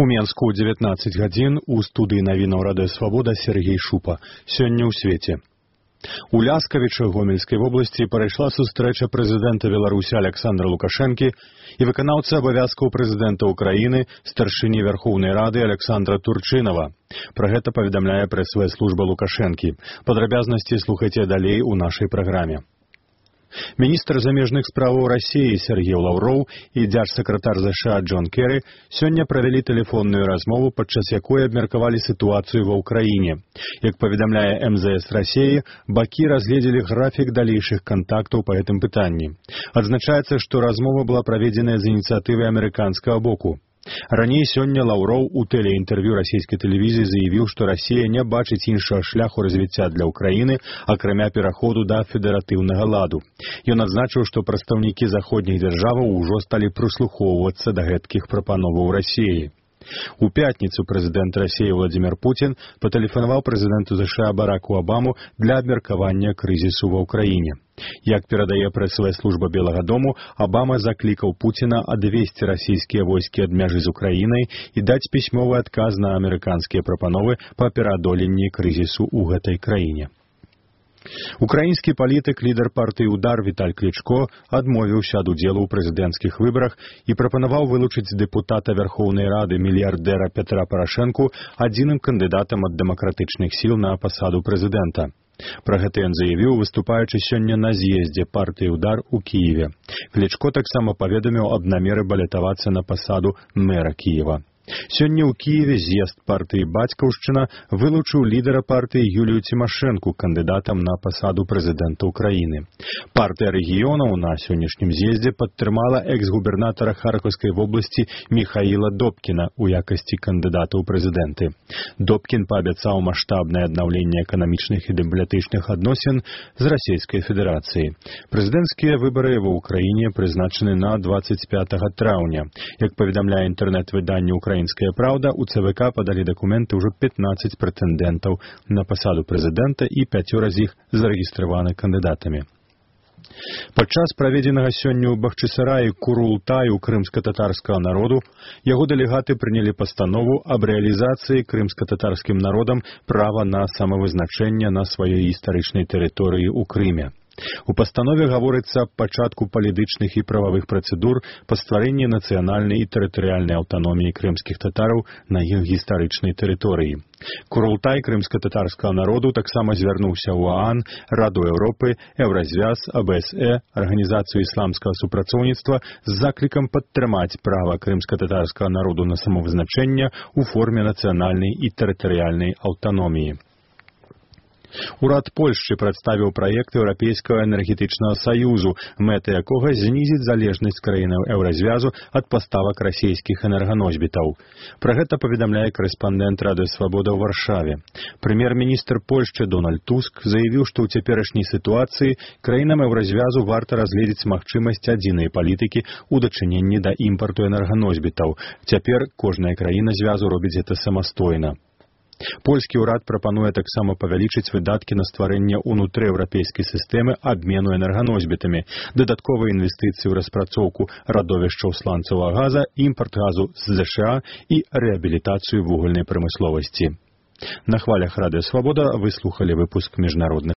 У Менску ў 19 гадзін у студыі навінаў Радыё Свабода Сергей Шупа. Сёння ў свеце. У Ляскавічы Гомельскай вобласці прайшла сустрэча прэзідэнта Беларусі Александра Лукашэнкі і выканаўцы абавязкаў прэзідэнта Украіны, старшыні Верхоўнай Рады Александра Турчынава. Пра гэта паведамляе прэсавая служба Лукашэнкі. Падрабязнасці слухайце далей у нашай праграме. Міністр замежных справаў Расіі Сергей Лаўроў і дзяржсакратар ЗША Джон Керрі сёння правялі тэлефонную размову, падчас якой абмеркавалі сітуацыю ва ўкраіне. Як паведамляе МЗС Расіі, бакі разгледзелі графік далейшых кантактаў па гэтым пытанні. Адзначаецца, што размова была праведзеная з ініцыятывы амерыканскага боку. Раней сёння Лаўроў у тэлеінтэрв'ю расійскай тэлевізіі заявіў, што Расія не бачыць іншага шляху развіцця для ўкраіны, акрамя пераходу да федэратыўнага ладу. Ён адзначыў, што прадстаўнікі заходніх дзяржаваў ужо сталі прыслухоўвацца да гэткіх прапановаў Расіі. У пятніцу прэзідэнт Расіі Владзімір Пуцін патэлефанаваў прэзідэнту ЗША Бараку Абаму для абмеркавання крызісу ва ўкраіне. Як перадае прэсавая служба Белага дому, Абама заклікаў Пуціна адвесці расійскія войскі ад мяжы з Украінай і даць пісьмовы адказ на амерыканскія прапановы па пераадоленні крызісу ў гэтай краіне. Украінскі палітык, лідар партыі «Удар» Віталь Клічко адмовіўся ад удзелу ў прэзідэнцкіх выбарах і прапанаваў вылучыць дэпутата Верхоўнай Рады мільярдэра Петра Парашэнку адзіным кандыдатам ад дэмакратычных сіл на пасаду прэзідэнта. Пра гэта ён заявіў, выступаючы сёння на з'ездзе партыі «Удар» у Кіеве. Клічко таксама паведаміў аб намеры балятавацца на пасаду мэра Кіева. Сёння ў Кіеве з'езд партыі «Бацькаўшчына» вылучыў лідара партыі Юлію Цімашэнку кандыдатам на пасаду прэзідэнта Украіны. Партыя рэгіёнаў на сённяшнім з'ездзе падтрымала экс-губернатара Харкаўскай вобласці Міхаіла Добкіна ў якасці кандыдата ў прэзідэнты. Добкін паабяцаў маштабнае аднаўленне эканамічных і дыпламатычных адносін з Расійскай Федэрацыяй. Прэзідэнцкія выбары ва ўкраіне прызначаны на 25 траўня. Як паведамляе інтэрнэт-выданне «Украінская праўда», у ЦВК падалі дакументы ўжо 15 прэтэндэнтаў на пасаду прэзідэнта і 5 з іх зарэгістраваны кандыдатамі. Падчас праведзенага сёння ў Бахчысараі Курултаю крымска-татарскага народу яго дэлегаты прынялі пастанову аб рэалізацыі крымска-татарскім народам права на самавызначэнне на сваёй гістарычнай тэрыторыі ў Крыме. У пастанове гаворыцца аб пачатку палітычных і прававых працэдур па стварэнні нацыянальнай і тэрытарыяльнай аўтаноміі крымскіх татараў на іх гістарычнай тэрыторыі. Курултай крымска-татарскага народу таксама звярнуўся ў ОАН, Раду Еўропы, Еўразвяз, АБСЭ, Арганізацыю ісламскага супрацоўніцтва з заклікам падтрымаць права крымска-татарскага народу на самавызначэнне ў форме нацыянальнай і тэрытарыяльнай аўтаноміі. Урад Польшчы прадставіў праект Еўрапейскага энергетычнага саюзу, мэта якога знізіць залежнасць краінаў Еўразвязу ад паставак расійскіх энерганосьбітаў. Пра гэта паведамляе корэспандэнт Радыё Свабода ў Варшаве. Прэм'ер-міністр Польшчы Дональд Туск заявіў, што ў цяперашняй сітуацыі краінам Еўразвязу варта разгледзець магчымасць адзінай палітыкі ў дачыненні да імпарту энерганосьбітаў. Цяпер кожная краіна звязу робіць гэта самастойна. Польскі ўрад прапануе таксама павялічыць выдаткі на стварэнне ўнутрыеўрапейскай сістэмы абмену энерганосьбітамі, дадатковыя інвестыцыі ў распрацоўку радовішчаў сланцавага газа, імпарт газу з ЗША і рэабілітацыю вугальнай прамысловасці. На хвалях Радыё Свабода вы слухалі выпуск міжнародных